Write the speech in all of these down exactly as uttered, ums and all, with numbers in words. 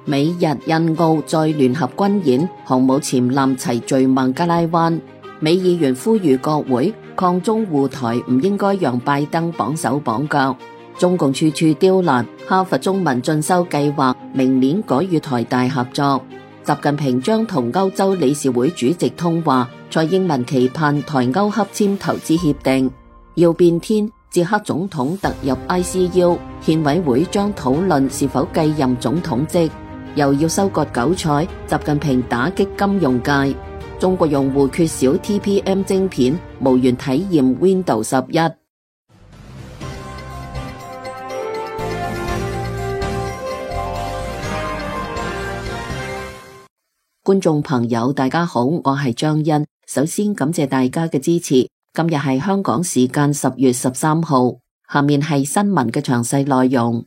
美日印澳再聯合軍演，航母潛艦齊聚孟加拉灣。美議員呼籲國會抗中護台，唔應該讓拜登綁手綁腳。中共處處刁難，哈佛中文進修計劃明年改與台大合作。習近平將同歐洲理事會主席通話，蔡英文期盼台歐洽簽投資協定。要變天，捷克總統突入 I C U， 憲委會將討論是否繼任總統職。又要收割韭菜，習近平打擊金融界。中國用戶缺少 T P M 晶片，無緣體驗 Windows 十一。觀眾朋友，大家好，我係張欣。首先感謝大家嘅支持。今日係香港時間十月十三號，下面係新聞嘅詳細內容。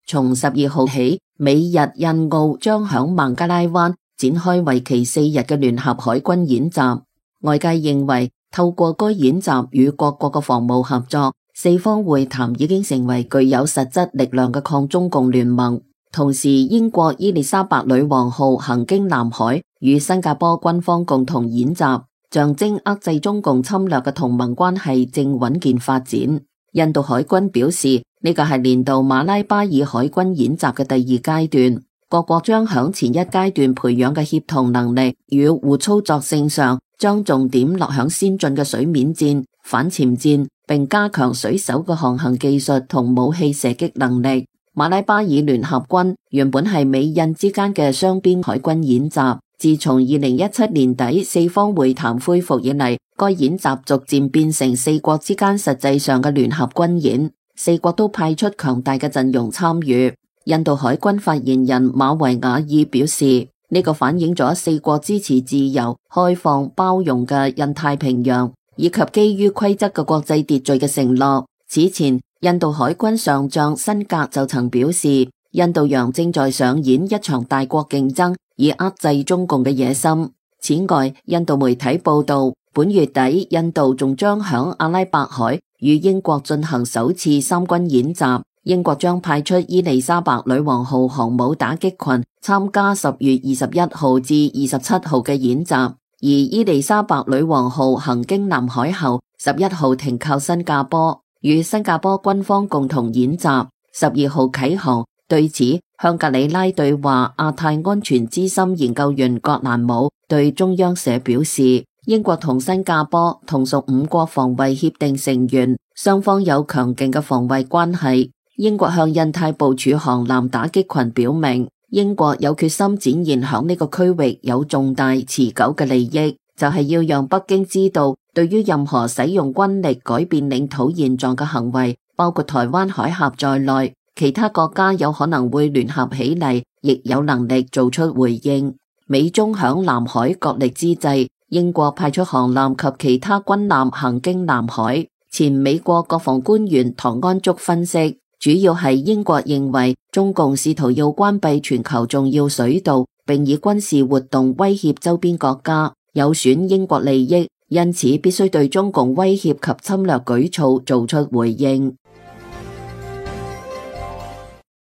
從十二號起，美日印澳將響孟加拉灣展開為期四日嘅聯合海軍演習。外界認為，透過該演習與各國嘅防務合作，四方會談已經成為具有實質力量嘅抗中共聯盟。同時，英國伊麗莎白女王號行經南海，與新加坡軍方共同演習，象徵遏制中共侵略嘅同盟關係正穩健發展。印度海軍表示，呢個係年度馬拉巴爾海軍演習嘅第二階段，各國將響前一階段培養嘅協同能力與互操作性上，將重點落響先進嘅水面戰、反潛戰，並加強水手嘅航行技術同武器射擊能力。馬拉巴爾聯合軍原本係美印之間嘅雙邊海軍演習，自從二零一七年底四方會談恢復以嚟，該演習逐漸變成四國之間實際上嘅聯合軍演，四國都派出強大嘅陣容參與。印度海軍發言人馬維亞爾表示，呢個反映咗四國支持自由、開放、包容嘅印太平洋，以及基於規則嘅國際秩序嘅承諾。此前，印度海軍上將辛格就曾表示，印度洋正在上演一場大國競爭，以遏制中共嘅野心。此外，印度媒體報道，本月底印度仲將響阿拉伯海與英國進行首次三軍演習，英國將派出伊麗莎白女王號航母打擊群參加十月二十一號至二十七號嘅演習，而伊麗莎白女王號行經南海後，十一號停靠新加坡，與新加坡軍方共同演習，十二號啟航。對此，香格里拉對話亞太安全資深研究員葛蘭姆對中央社表示，英國同新加坡同屬五國防衛協定成員，雙方有強勁嘅防衛關係。英國向印太部署航艦打擊群表明，英國有決心展現響呢個區域有重大持久嘅利益，就係要讓北京知道，對於任何使用軍力改變領土現狀嘅行為，包括台灣海峽在內，其他國家有可能會聯合起嚟，亦有能力做出回應。美中響南海角力之際，英國派出航艦及其他軍艦行經南海。前美國國防官員唐安竹分析，主要係英國認為中共試圖要關閉全球重要水道，並以軍事活動威脅周邊國家，有損英國利益，因此必須對中共威脅及侵略舉措做出回應。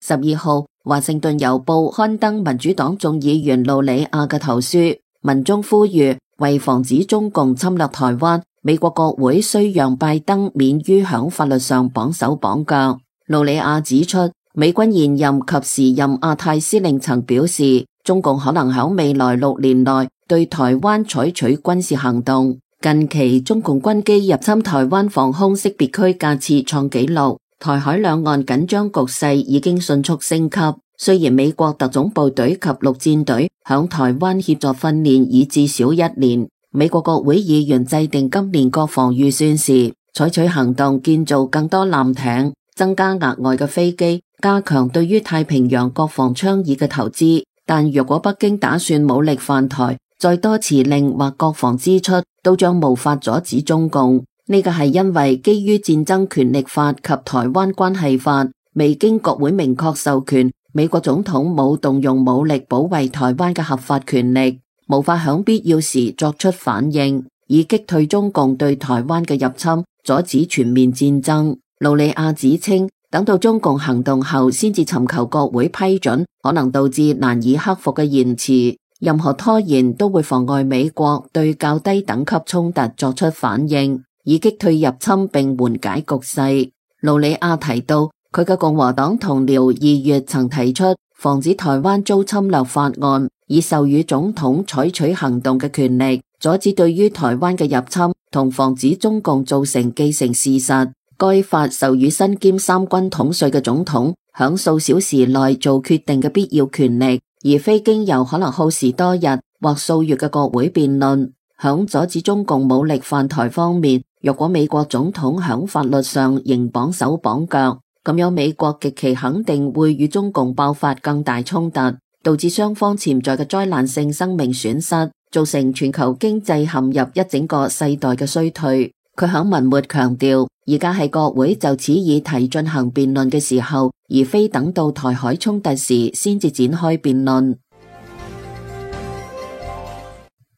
十二號，華盛頓郵報刊登民主黨眾議員盧里亞嘅投書，文中呼籲為防止中共侵略台灣，美國國會需讓拜登免於響法律上綁手綁腳。盧里亞指出，美軍現任及時任亞太司令曾表示，中共可能響未來六年內對台灣採取軍事行動。近期中共軍機入侵台灣防空識別區架次創紀錄，台海兩岸緊張局勢已經迅速升級。雖然美國特種部隊及陸戰隊響台灣協助訓練已至少一年，美國國會議員制定今年國防預算時，採取行動建造更多艦艇，增加額外嘅飛機，加強對於太平洋國防倡議嘅投資。但若果北京打算武力犯台，再多辭令或國防支出，都將無法阻止中共。呢個係因為基於戰爭權力法及台灣關係法，未經國會明確授權，美國總統冇動用武力保衛台灣嘅合法權力，無法響必要時作出反應，以擊退中共對台灣嘅入侵，阻止全面戰爭。盧里亞指稱，等到中共行動後先至尋求國會批准，可能導致難以克服嘅延遲。任何拖延都會妨礙美國對較低等級衝突作出反應，以擊退入侵並緩解局勢。盧里亞提到，佢嘅共和黨同僚二月曾提出防止台灣遭侵略法案，以授予總統採取行動嘅權力，阻止對於台灣嘅入侵同防止中共造成既成事實。該法授予身兼三軍統帥嘅總統響數小時內做決定嘅必要權力，而非經由可能耗時多日或數月嘅國會辯論。響阻止中共武力犯台方面，若果美國總統響法律上仍綁手綁腳，咁樣美國極其肯定會與中共爆發更大衝突，導致雙方潛在嘅災難性生命損失，造成全球經濟陷入一整個世代嘅衰退。佢響文末強調，而家係國會就此議題進行辯論嘅時候，而非等到台海衝突時先至展開辯論。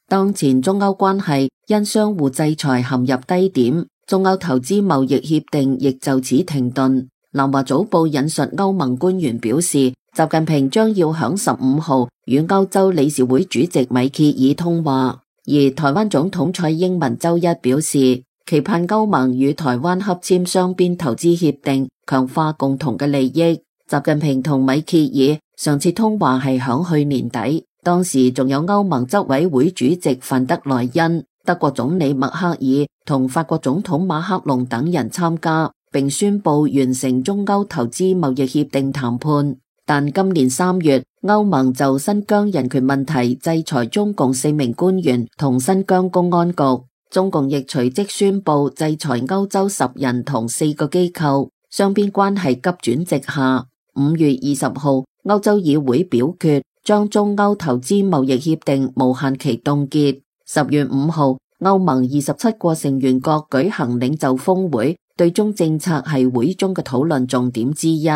當前中歐關係因相互制裁陷入低點，中歐投資貿易協定亦就此停頓。南華早報引述歐盟官員表示，習近平將要響十五號與歐洲理事會主席米歇爾通話，而台灣總統蔡英文周一表示，期盼歐盟與台灣洽簽雙邊投資協定，強化共同嘅利益。習近平同米歇爾上次通話係響去年底，當時仲有歐盟執委會主席范德萊恩、德國總理默克爾同法國總統馬克龍等人參加，並宣布完成中歐投資貿易協定談判。但今年三月，歐盟就新疆人權問題制裁中共四名官員同新疆公安局。中共亦隨即宣布制裁歐洲十人同四個機構，雙邊關係急轉直下。五月二十號，歐洲議會表決將中歐投資貿易協定無限期凍結。十月五號，歐盟二十七個成員國舉行領袖峰會，對中政策係會中嘅討論重點之一。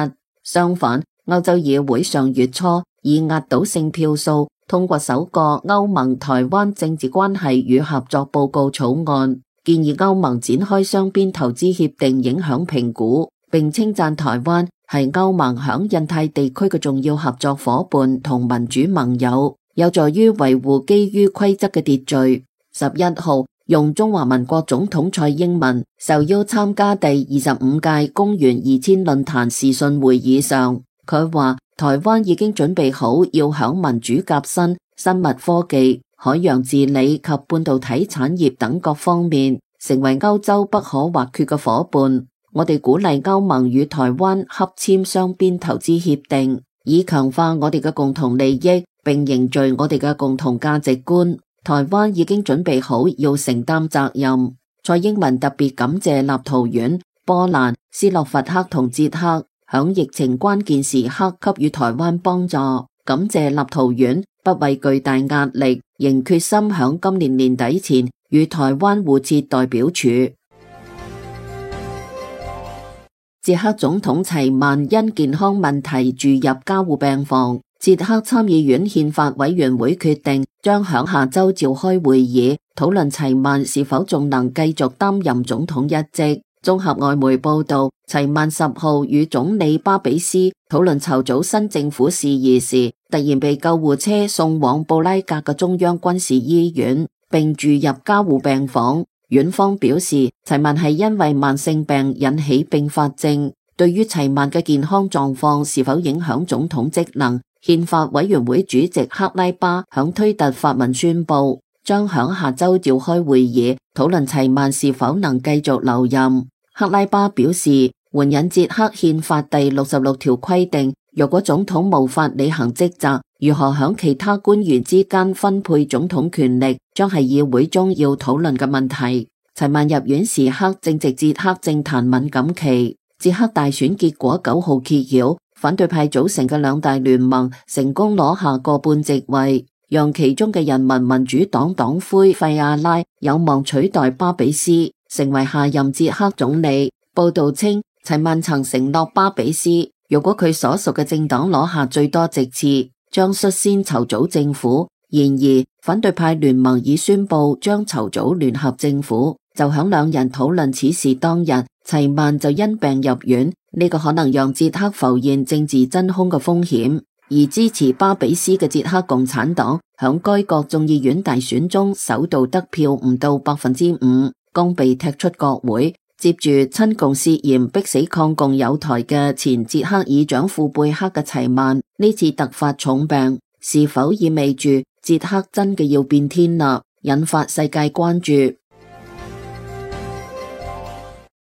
相反，歐洲議會上月初以壓倒性票數通過首個歐盟台灣政治關係與合作報告草案，建議歐盟展開雙邊投資協定影響評估，並稱讚台灣係歐盟響印太地區嘅重要合作夥伴同民主盟友，有助於維護基於規則嘅秩序。十一號，用中華民國總統蔡英文受邀參加第二十五屆公元二千論壇視訊會議上，佢話台灣已經準備好要響民主革新、生物科技、海洋治理及半導體產業等各方面成為歐洲不可或缺嘅夥伴。我哋鼓勵歐盟與台灣洽簽雙邊投資協定，以強化我哋嘅共同利益，並凝聚我哋嘅共同價值觀。台灣已經準備好要承擔責任。蔡英文特別感謝立陶宛、波蘭、斯洛伐克同捷克響疫情關鍵時刻給予台灣幫助，感謝立陶宛不畏巨大壓力，仍決心響今年年底前與台灣互設代表處。捷克總統齊曼因健康問題住入加護病房，捷克參議院憲法委員會決定將響下周召開會議，討論齊曼是否仲能繼續擔任總統一職。綜合外媒報道，齊曼十號與總理巴比斯討論籌組新政府事宜時，突然被救護車送往布拉格嘅中央軍事醫院，並住入加護病房。院方表示，齊曼係因為慢性病引起併發症。對於齊曼嘅健康狀況是否影響總統職能，憲法委員會主席克拉巴響推特發文宣布，將響下周召開會議，討論齊曼是否能繼續留任。克拉巴表示，援引捷克憲法第六十六條規定，若果總統無法履行職責，如何響其他官員之間分配總統權力，將係議會中要討論嘅問題。齊曼入院時刻正值捷克政壇敏感期，捷克大選結果九號揭曉，反對派組成嘅兩大聯盟成功攞下過半席位，讓其中嘅人民民主黨黨魁費亞拉有望取代巴比斯，成為下任捷克總理。報道稱，齊曼曾承諾巴比斯，如果佢所屬嘅政黨攞下最多席次，將率先籌組政府。然而，反對派聯盟已宣布將籌組聯合政府。就響兩人討論此事當日，齊曼就因病入院，呢個可能讓捷克浮現政治真空嘅風險。而支持巴比斯嘅捷克共產黨響該國眾議院大選中首度得票唔到百分之五，剛被踢出國會。接住親共涉嫌逼死抗共友台嘅前捷克議長庫貝克嘅齊曼，呢次突發重病，是否意味住捷克真嘅要變天啦？引發世界關注。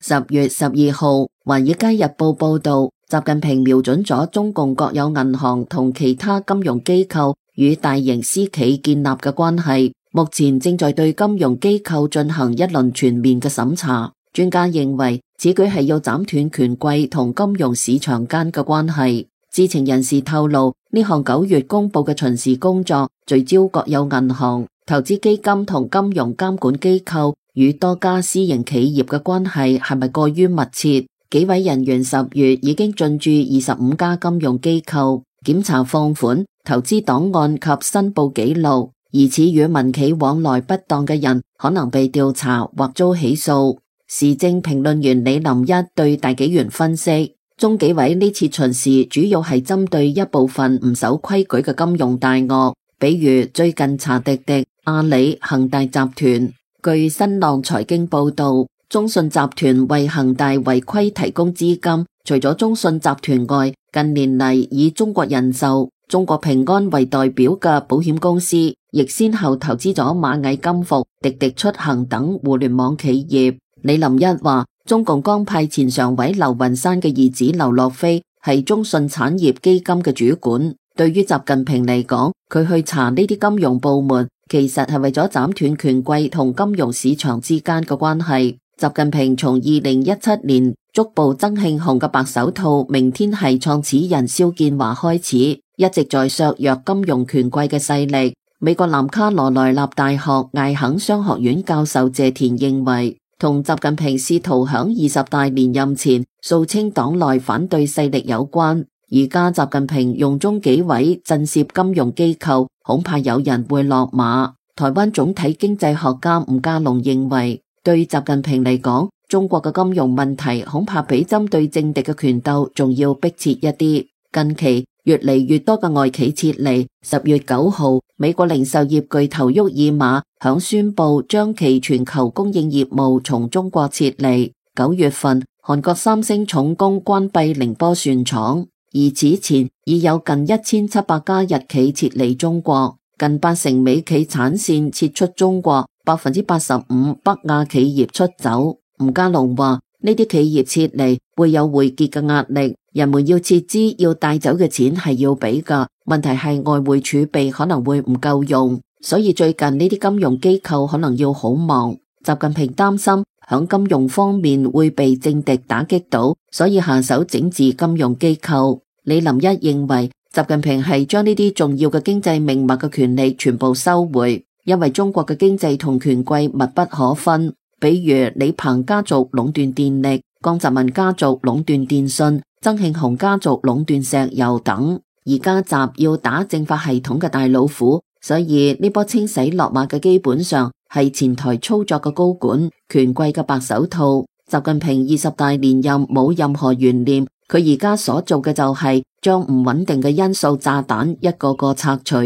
十月十二號，《華爾街日報》報道，習近平瞄準咗中共國有銀行同其他金融機構與大型私企建立嘅關係，目前正在對金融機構進行一輪全面嘅審查。專家認為，此舉係要斬斷權貴同金融市場間嘅關係。知情人士透露，呢項九月公布嘅巡視工作聚焦國有銀行、投資基金同金融監管機構與多家私營企業嘅關係係咪過於密切？幾位人員十月已經進駐二十五家金融機構，檢查放款、投資檔案及申報記錄，疑似與民企往來不當嘅人可能被調查或遭起訴。時政評論員李林一對大紀元分析，中紀委呢次巡視主要係針對一部分唔守規矩嘅金融大鱷，比如最近查滴滴、阿里、恒大集團。據新浪財經報道，中信集團為恒大違規提供資金，除咗中信集團外，近年嚟以中國人壽、中國平安為代表嘅保險公司，亦先後投資咗螞蟻金服、滴滴出行等互聯網企業。李林一話，中共剛派前常委劉雲山嘅兒子劉樂飛係中信產業基金嘅主管。對於習近平嚟講，佢去查呢啲金融部門，其實係為咗斬斷權貴同金融市場之間嘅關係。習近平從二零一七年捉捕曾慶紅嘅白手套明天系創始人肖建華開始，一直在削弱金融權貴嘅勢力。美國南卡羅來納大學艾肯商學院教授謝田認為，同習近平試圖響二十大連任前掃清黨內反對勢力有關。而家習近平用中紀委震懾金融機構，恐怕有人會落馬。台灣總體經濟學家吳家龍認為，對習近平嚟講，中國嘅金融問題恐怕比針對政敵嘅權鬥仲要迫切一啲。近期越嚟越多嘅外企撤離。十月九號，美國零售業巨頭沃爾瑪響宣布將其全球供應業務從中國撤離。九月份，韓國三星重工關閉寧波船廠，而此前已有近一千七百家日企撤離中國，近八成美企產線撤出中國，百分之八十五北亞企業出走。吳家龍話：呢啲企業撤離會有匯結嘅壓力，人們要撤資要帶走嘅錢係要俾㗎，問題係外匯儲備可能會唔夠用，所以最近呢啲金融機構可能要好忙。習近平擔心響金融方面會被政敵打擊到，所以下手整治金融機構。李林一認為，習近平係將呢啲重要嘅經濟命脈嘅權力全部收回，因為中國嘅經濟同權貴密不可分。比如李鵬家族壟斷電力，江澤民家族壟斷電信，曾慶紅家族壟斷石油等。而家習要打政法系統嘅大老虎，所以呢波清洗落馬嘅基本上係前台操作嘅高管、權貴嘅白手套。習近平二十大連任冇任何懸念，佢而家所做嘅就係將唔穩定嘅因素炸彈一個個拆除。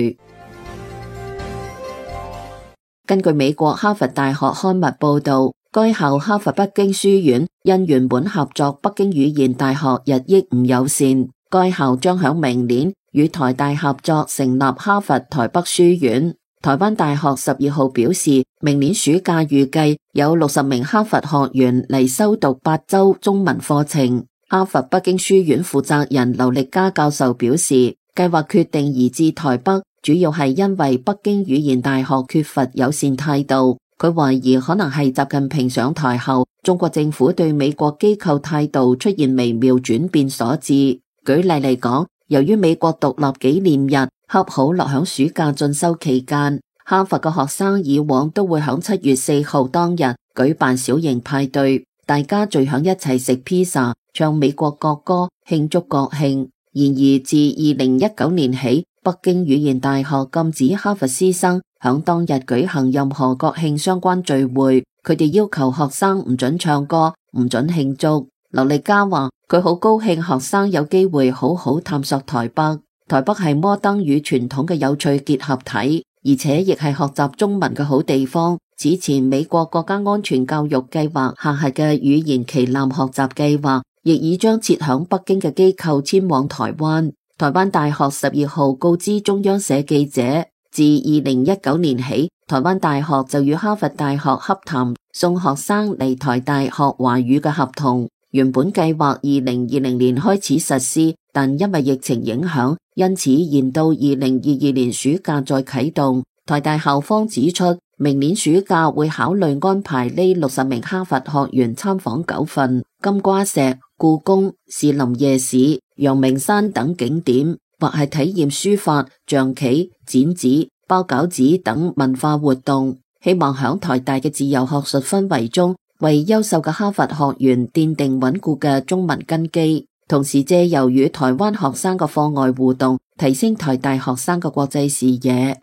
根據美國哈佛大學刊物報道，該校哈佛北京書院因原本合作北京語言大學日益唔友善，該校將響明年與台大合作成立哈佛台北書院。台灣大學十二號表示，明年暑假預計有六十名哈佛學員嚟修讀八週中文課程。哈佛北京書院負責人劉力嘉教授表示，計劃決定移至台北，主要係因為北京語言大學缺乏友善態度。佢懷疑可能係習近平上台後，中國政府對美國機構態度出現微妙轉變所致。舉例嚟講，由於美國獨立紀念日恰好落響暑假進修期間，哈佛嘅學生以往都會響七月四號當日舉辦小型派對，大家聚響一齊食披薩、唱美國國歌，慶祝國慶。然而自二零一九年起，北京語言大學禁止哈佛師生響當日舉行任何國慶相關聚會，佢哋要求學生唔准唱歌，唔准慶祝。劉力嘉話佢好高興學生有機會好好探索台北，台北係摩登與傳統嘅有趣結合體，而且亦係學習中文嘅好地方。此前美國國家安全教育計劃下轄嘅語言旗艦學習計劃，亦已將設響北京嘅機構遷往台灣。台灣大學十二號告知中央社記者，自二零一九年起，台灣大學就與哈佛大學洽談送學生嚟台大學華語嘅合同。原本計劃二零二零年開始實施，但因為疫情影響，因此延到二零二二年暑假再啟動。台大校方指出，明年暑假會考慮安排呢六十名哈佛學員參訪九份、金瓜石、故宮、士林夜市、陽明山等景點，或係體驗書法、象棋、剪紙、包餃子等文化活動，希望響台大嘅自由學術氛圍中，為優秀嘅哈佛學員奠定穩固嘅中文根基，同時借由與台灣學生嘅課外互動，提升台大學生嘅國際視野。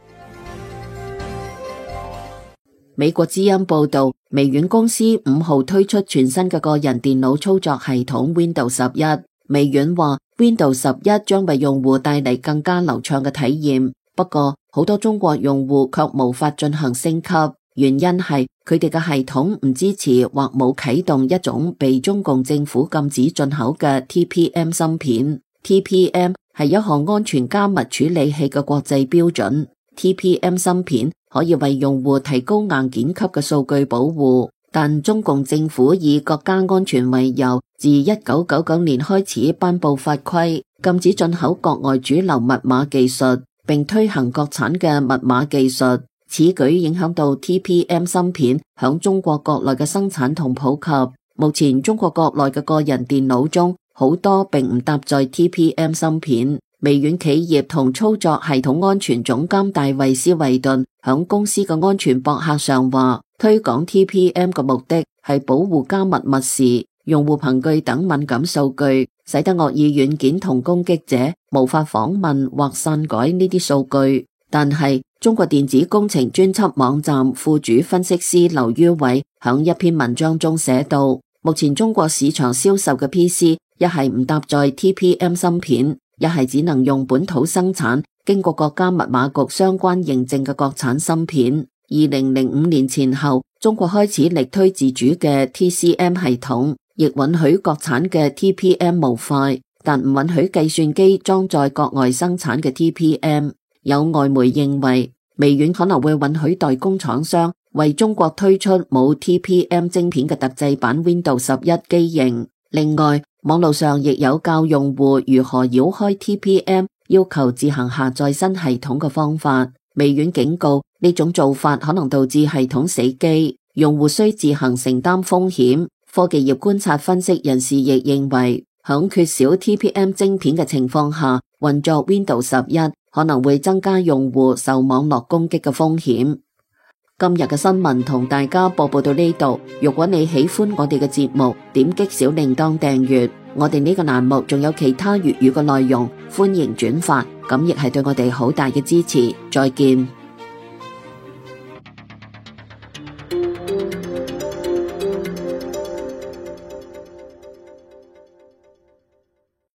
美國之音報道，微軟公司五號推出全新嘅個人電腦操作系統 Windows 十一。微軟話 Windows 十一將為用戶帶嚟更加流暢嘅體驗，不過好多中國用戶卻無法進行升級，原因係佢哋嘅系統唔支持或冇啟動一種被中共政府禁止進口嘅 T P M 芯片。T P M 係一項安全加密處理器嘅國際標準。T P M 芯片可以為用戶提高硬件級嘅數據保護，但中共政府以國家安全為由，自一九九九年開始頒布法規，禁止進口國外主流密碼技術，並推行國產嘅密碼技術。此舉影響到 T P M 芯片響中國國內嘅生產同普及。目前中國國內嘅個人電腦中，好多並唔搭載 T P M 芯片。微軟企業同操作系統安全總監戴維斯維頓響公司嘅安全博客上話，推廣 T P M 嘅目的係保護加密密匙、用戶憑據等敏感數據，使得惡意軟件同攻擊者無法訪問或篡改呢啲數據。但係中國電子工程專輯網站副主分析師劉于偉響一篇文章中寫道，目前中國市場銷售嘅 P C 一係唔搭載 T P M 芯片，一係只能用本土生產、經過國家密碼局相關認證嘅國產芯片。二零零五年前後，中國開始力推自主嘅 T C M 系統，亦允許國產嘅 T P M 模塊，但唔允許計算機裝載國外生產嘅 T P M。有外媒認為，微軟可能會允許代工廠商為中國推出冇 T P M 晶片嘅特製版 Windows 十一機型。另外，網絡上亦有教用戶如何繞開 T P M 要求自行下載新系統嘅方法。微軟警告，呢種做法可能導致系統死機，用戶需自行承擔風險。科技業觀察分析人士亦認為，響缺少 T P M 晶片嘅情況下，運作 Windows 十一可能會增加用戶受網絡攻擊嘅風險。今日嘅新聞同大家播報到呢度。如果你喜歡我哋嘅節目，點擊小鈴鐺訂閱。我哋呢個欄目仲有其他粵語嘅內容，歡迎轉發，咁亦係對我哋好大嘅支持。再見。